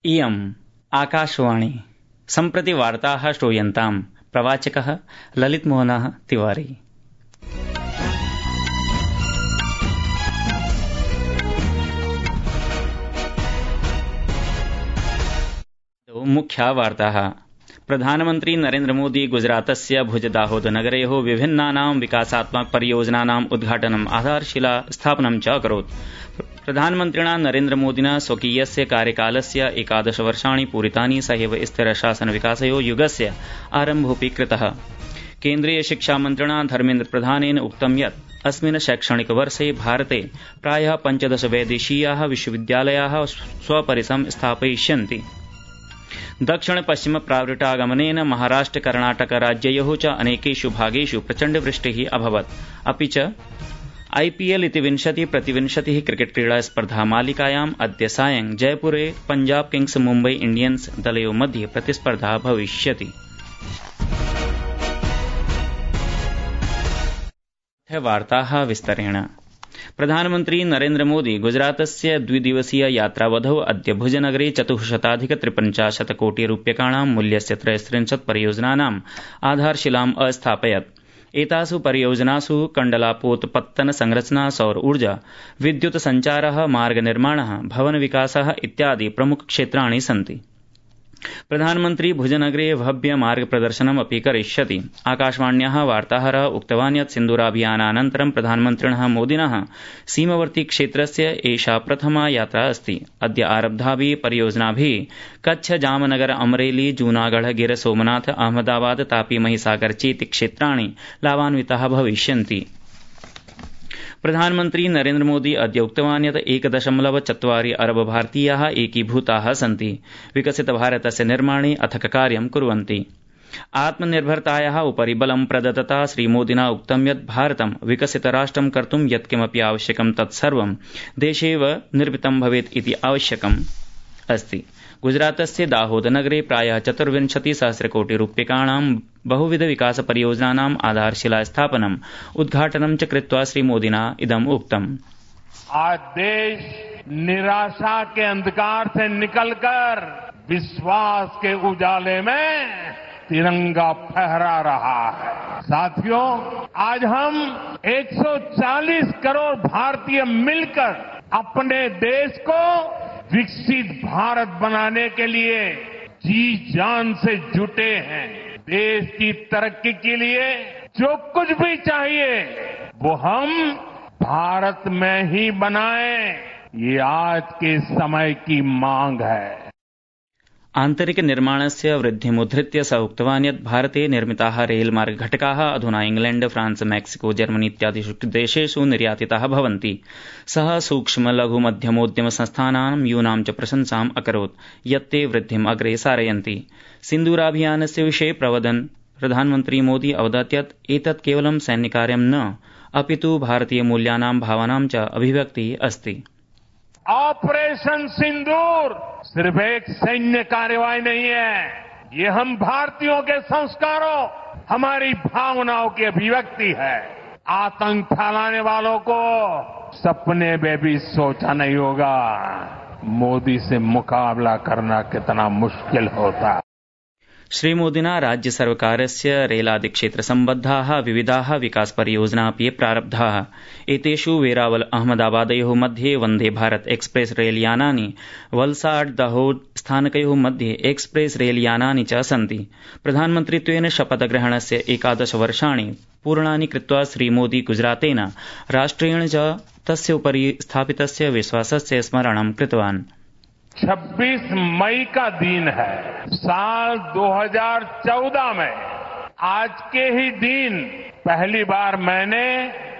इयम् आकाशवाणी सम्प्रति वार्ताः श्रूयन्ताम् प्रवाचकः ललितमोहनः तिवारी। मुख्या वार्ताः। प्रधानमन्त्री नरेन्द्र मोदी गुजरातस्य भुज दाहोद नगरयोः विभिन्नानां विकासात्मक परियोजनानाम् उद्घाटनम् आधारशिला स्थापनं च अकरोत्। प्रधानमन्त्रिणा नरेन्द्र मोदिना स्वकीयस्य कार्यकालस्य 11 वर्षाणि पूरितानि सहैव स्थिर शासन विकासयो युगस्य आरम्भोऽपि कृतः। केन्द्रीय शिक्षा मन्त्रिणा धर्मेन्द्र प्रधानेन उक्तं यत् अस्मिन् शैक्षणिक वर्षे भारते प्रायः 15 वैदेशीयाः विश्वविद्यालयाः स्वपरिसरं स्थापयिष्यन्ति। दक्षिण पश्चिम प्रावृटागमनेन महाराष्ट्र कर्णाटक राज्ययोः च अनेकेषु भागेषु प्रचण्ड वृष्टिः अभवत्। अपि च IPL इति 20-20 क्रिकेट क्रीडा स्पर्धा मालिकायाम् अद्य सायं जयपुरे पंजाब किंग्स मुम्बई इंडियन्स दलयोः मध्ये प्रतिस्पर्धा भविष्यति। वार्ताः विस्तरेण। प्रधानमन्त्री नरेन्द्र मोदी गुजरातस्य द्विदिवसीय यात्रावधौ अद्य भुजनगरे 450 कोटि रूप्यकाणां मूल्यस्य 33 परियोजनानाम् आधारशिलाम् अस्थापयत्। एतासु परियोजनासु कण्डलापोतपत्तन संरचना, सौर ऊर्जा, विद्युत सञ्चारः, मार्ग निर्माणः, भवन विकासः इत्यादि प्रमुख क्षेत्राणि सन्ति। प्रधानमन्त्री भुजनगरे भव्य मार्ग प्रदर्शनम् अपि करिष्यति। आकाशवाण्याः वार्ताहरः उक्तवान् यत् सिन्दूराभियानानन्तरं प्रधानमन्त्रिणः मोदिनः सीमवर्ती क्षेत्रस्य एषा प्रथमा यात्रा अस्ति। अद्य आरब्धाभिः परियोजनाभिः कच्छ, जामनगर, अमरेली, जूनागढ़, गिर सोमनाथ, अहमदाबाद, तापी, महिसागर चेति क्षेत्राणि लाभान्विताः भविष्यन्ति। प्रधानमन्त्री नरेन्द्र मोदी अद्य उक्तवान् यत् 1.4 अरब भारतीयाः एकीभूताः सन्ति, विकसित भारतस्य निर्माणे अथक कार्यं कुर्वन्ति। आत्मनिर्भरतायाः उपरि बलं प्रदत्तता श्रीमोदिना उक्तं यत् भारतं विकसित राष्ट्रं कर्तुं यत्किमपि आवश्यकं तत्सर्वं देशेव निर्मितं भवेत् इति आवश्यकम् अस्ति। गुजरातस्य दाहोद नगरे प्रायः 24,000 कोटि रूप्यकाणां बहुविध विकास परियोजनानाम् आधारशिला स्थापनम् उद्घाटनं च कृत्वा श्रीमोदिना इदम् उक्तम्। आज देश निराशा के अंधकार से निकलकर विश्वास के उजाले में तिरंगा फहरा रहा है। साथियों, आज हम 140 करोड़ भारतीय मिलकर अपने देश को विकसित भारत बनाने के लिए जी जान से जुटे हैं। देश की तरक्की के लिए जो कुछ भी चाहिए वो हम भारत में ही बनाएं, ये आज के समय की मांग है। आन्तरिक निर्माणस्य वृद्धिमुद्धृत्य स उक्तवान् यत् भारते निर्मिताः रेलमार्ग घटकाः अधुना इंग्लैण्ड, फ्रांस, मेक्सिको, जर्मनी इत्यादिषु देशेषु निर्यातिताः भवन्ति। सः सूक्ष्म लघु मध्यमोद्यम संस्थानां यूनां च प्रशंसाम् अकरोत् यत् ते वृद्धिम् अग्रे सारयन्ति। सिन्दूराभियानस्य विषये प्रवदन् प्रधानमन्त्री मोदी अवदत् यत् एतत् केवलं सैन्यकार्यं न, अपितु भारतीय मूल्यानां भावनां च अभिव्यक्तिः अस्ति। ऑपरेशन सिंदूर सिर्फ एक सैन्य कार्यवाही नहीं है, ये हम भारतीयों के संस्कारों, हमारी भावनाओं की अभिव्यक्ति है। आतंक फैलाने वालों को सपने में भी सोचा नहीं होगा मोदी से मुकाबला करना कितना मुश्किल होता है। श्रीमोदिना राज्य सर्वकारस्य रेलादिक्षेत्र सम्बद्धाः विविधाः विकास परियोजनापि प्रारब्धाः। एतेषु वेरावल अहमदाबादयोः मध्ये वन्दे भारत एक्सप्रेस रेलयानानि, वलसाड दाहोद स्थानकयोः मध्ये एक्सप्रेस रेलयानानि च सन्ति। प्रधानमन्त्रित्वेन शपथग्रहणस्य 11 वर्षाणि पूर्णानि कृत्वा श्रीमोदी गुजरातेन राष्ट्रेण च तस्य उपरि स्थापितस्य विश्वासस्य स्मरणं कृतवान्। 26 मई का दिन है। साल 2014 में आज के ही दिन पहली बार मैंने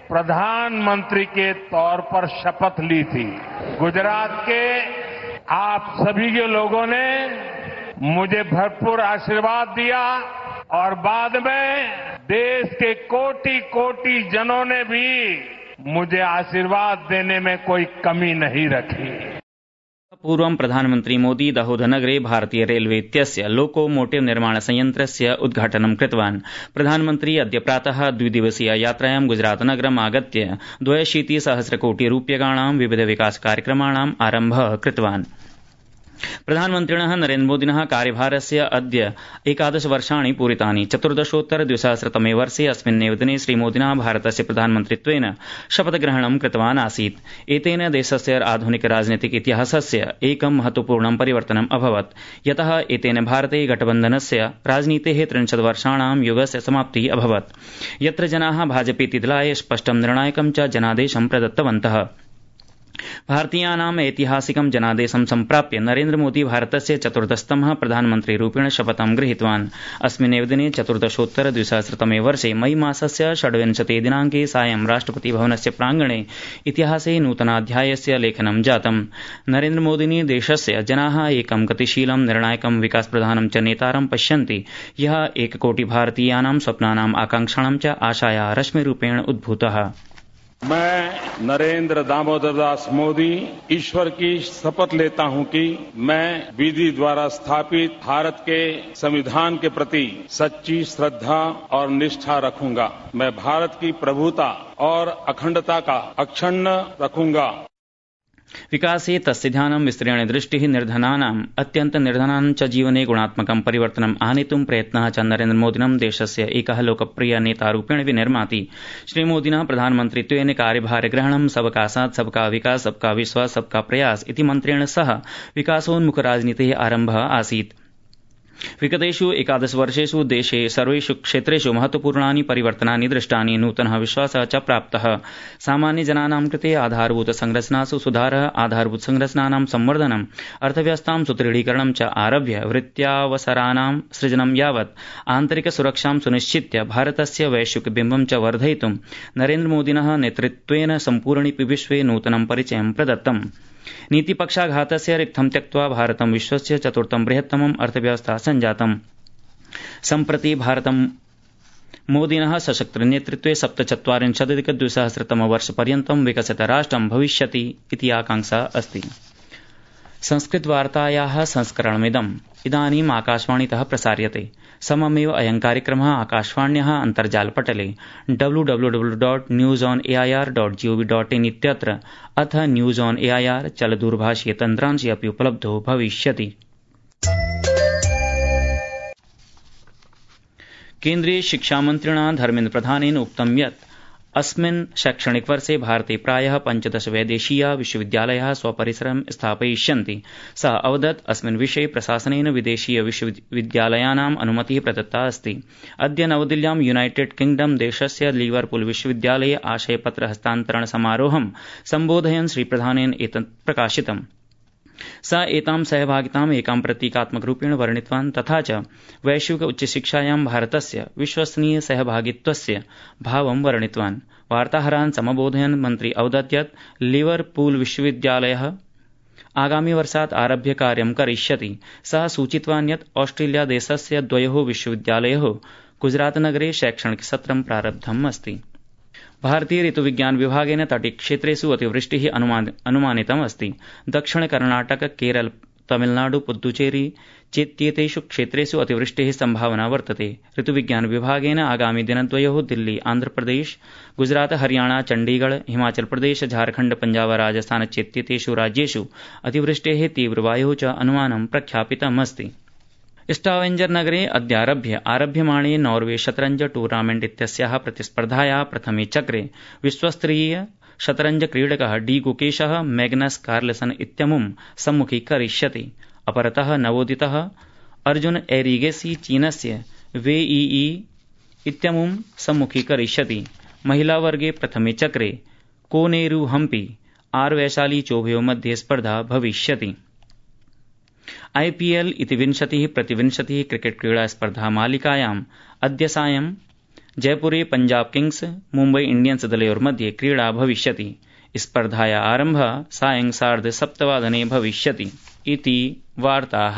प्रधानमंत्री के तौर पर शपथ ली थी। गुजरात के आप सभी के लोगों ने मुझे भरपूर आशीर्वाद दिया और बाद में देश के कोटि कोटि जनों ने भी मुझे आशीर्वाद देने में कोई कमी नहीं रखी। पूर्वं प्रधानमन्त्री मोदी दाहोदनगरे भारतीय रेलवे इत्यस्य लोकोमोटिव निर्माण संयन्त्रस्य उद्घाटनं कृतवान्। प्रधानमन्त्री अद्य प्रातः द्विदिवसीय यात्रायां गुजरातनगरम् आगत्य 62,000 कोटि रूप्यकाणां विविध विकास कार्यक्रमाणाम् आरम्भः कृतवान्। प्रधानमन्त्रिणः नरेन्द्रमोदिनः कार्यभारस्य अद्य 11 वर्षाणि पूरितानि। 14-2000 वर्षे अस्मिन्नेव दिने श्रीमोदिना भारतस्य प्रधानमन्त्रित्वेन शपथग्रहणं कृतवान् आसीत्। एतेन देशस्य आधुनिक राजनीतिक इतिहासस्य एकं महत्वपूर्णं परिवर्तनम् अभवत्, यतः एतेन भारते गठबन्धनस्य राजनीतेः 30 वर्षाणां युगस्य समाप्तिः अभवत्, यत्र जनाः भाजपेति दलाय स्पष्टं निर्णायकं च जनादेशं प्रदत्तवन्तः। भारतीयानाम् ऐतिहासिकं जनादेशं सम्प्राप्य नरेन्द्रमोदी भारतस्य 14तमः प्रधानमन्त्रीरूपेण शपथं गृहीतवान्। अस्मिन्नेव दिने 14-2000 वर्षे मई मासस्य 26 दिनाङ्के सायं राष्ट्रपतिभवनस्य प्राङ्गणे इतिहासे नूतनाध्यायस्य लेखनं जातम्। नरेन्द्रमोदिनी देशस्य जनाः एकं गतिशीलं निर्णायकं विकासप्रधानं च नेतारं पश्यन्ति, यः 1 कोटि भारतीयानां स्वप्नानाम् आकांक्षाणां च आशाया रश्मिरूपेण उद्भूतः। मैं नरेंद्र दामोदर दास मोदी ईश्वर की शपथ लेता हूं कि मैं विधि द्वारा स्थापित भारत के संविधान के प्रति सच्ची श्रद्धा और निष्ठा रखूंगा। मैं भारत की प्रभुता और अखंडता का अक्षुण्ण रखूंगा। विकासे तस्य ध्यानं विस्तरेण दृष्टिः निर्धनानाम् अत्यन्तनिर्धनानां च जीवने गुणात्मकं परिवर्तनम् आनेतुं प्रयत्नः च नरेन्द्रमोदिनं देशस्य एकः लोकप्रिय नेतारूपेण विनिर्माति। श्रीमोदिना प्रधानमन्त्रित्वेन कार्यभारग्रहणं सबका साथ सबका विकास सबका विश्वास सबका प्रयास इति मन्त्रेण सह विकासोन्मुख राजनीतेः आरम्भः आसीत्। विगतेषु 11 वर्षेषु देशे सर्वेषु क्षेत्रेषु महत्वपूर्णानि परिवर्तनानि दृष्टानि, नूतनः विश्वासः च प्राप्तः। सामान्यजनानां कृते आधारभूत संरचनासु सुधारः, आधारभूत संरचनानां संवर्धनम्, अर्थव्यवस्थां सुदृढीकरणं च आरभ्य वृत्त्यावसराणां सृजनं यावत् आन्तरिक सुरक्षां सुनिश्चित्य भारतस्य वैश्विक बिम्बं च वर्धयितुं नरेन्द्रमोदिनः नेतृत्वेन सम्पूर्णे विश्वे नूतनं परिचयं प्रदत्तम्। नीतिपक्षाघातस्य रिक्थं त्यक्त्वा भारतं विश्वस्य 4थं बृहत्तमम् अर्थव्यवस्था सञ्जातम्। सम्प्रति भारतं मोदिनः सशक्त नेतृत्वे 47-2000 वर्षपर्यन्तं विकसित राष्ट्रं भविष्यति इति आकांक्षा अस्ति। संस्कृतवार्तायाः संस्करणमिदम् इदानीम् आकाशवाणीतः प्रसार्यते। सममेव अयं कार्यक्रमः आकाशवाण्याः अन्तर्जालपटले www.newsonair.gov.in इत्यत्र अथ न्यूज ऑन एआईआर चलदूरभाषीय तन्त्रांशे अपि उपलब्धो भविष्यति। केन्द्रीय शिक्षामन्त्रिणा धर्मेन्द्र प्रधानेन उक्तं यत् अस्मिन् शैक्षणिक वर्षे भारते प्रायः 15 वैदेशीया विश्वविद्यालयाः स्वपरिसरं स्थापयिष्यन्ति। सः अवदत् अस्मिन् विषये प्रशासनेन विदेशीय विश्वविद्यालयानाम् अनुमतिः प्रदत्ता अस्ति। अद्य नवदिल्ल्यां यूनाइटेड किंगडम देशस्य लिवरपूल विश्वविद्यालये आशयपत्र हस्तान्तरण समारोहं सम्बोधयन् श्रीप्रधानेन एतत् प्रकाशितम्। स एतां सहभागिताम् एकां प्रतीकात्मकरूपेण वर्णितवान् तथा च वैश्विक उच्चशिक्षायां भारतस्य विश्वसनीय सहभागित्वस्य भावं वर्णितवान्। वार्ताहरान् समबोधयन् मन्त्री अवदत् यत् लिवरपूल विश्वविद्यालयः आगामि वर्षात् आरभ्य कार्यं करिष्यति। सः सूचितवान् यत् ऑस्ट्रेलिया देशस्य 2 विश्वविद्यालयोः गुजरातनगरे शैक्षणिक सत्रं प्रारब्धम् अस्ति। भारतीय ऋतुविज्ञान विभागेन तटीयक्षेत्रेषु अतिवृष्टिः अनुमानितम् अस्ति। दक्षिण कर्णाटक, केरल, तमिलनाडु, पुद्दुचेरी चेत्येतेषु क्षेत्रेषु अतिवृष्टेः सम्भावना वर्तते। ऋतुविज्ञान विभागेन आगामि दिनद्वयोः दिल्ली, आन्ध्रप्रदेश, गुजरात, हरियाणा, चण्डीगढ़, हिमाचल प्रदेश, झारखण्ड, पञ्जाब, राजस्थान चेत्येतेषु राज्येषु अतिवृष्टेः तीव्रवायोः च अनुमानं प्रख्यापितम् अस्ति। स्टावेंजर नगरे अद्यारभ्य आरभ्यमाणे नॉर्वे शतरंज टूर्नामेंट इत्यस्याः प्रतिस्पर्धायाः प्रथमे चक्रे विश्वस्तरीय शतरंज क्रीडकः डी गुकेशः मैग्नस कार्लसन इत्यमुं सम्मुखीकरिष्यति। अपरतः नवोदितः अर्जुन एरिगेसी चीनस्य वेईई इत्यमुं सम्मुखीकरिष्यति। महिलावर्गे प्रथमे चक्रे कोनेरू हम्पी आर वैशाली चोभयोः मध्ये स्पर्धा भविष्यति। आईपीएल इति 20-20 क्रिकेट क्रीडा स्पर्धा मालिकायाम् अद्य सायं जयपुरे पंजाब किंग्स मुम्बई इंडियन्स दलयोर्मध्ये क्रीडा भविष्यति। स्पर्धाया आरम्भः सायं 7:30 भविष्यति इति वार्ताः।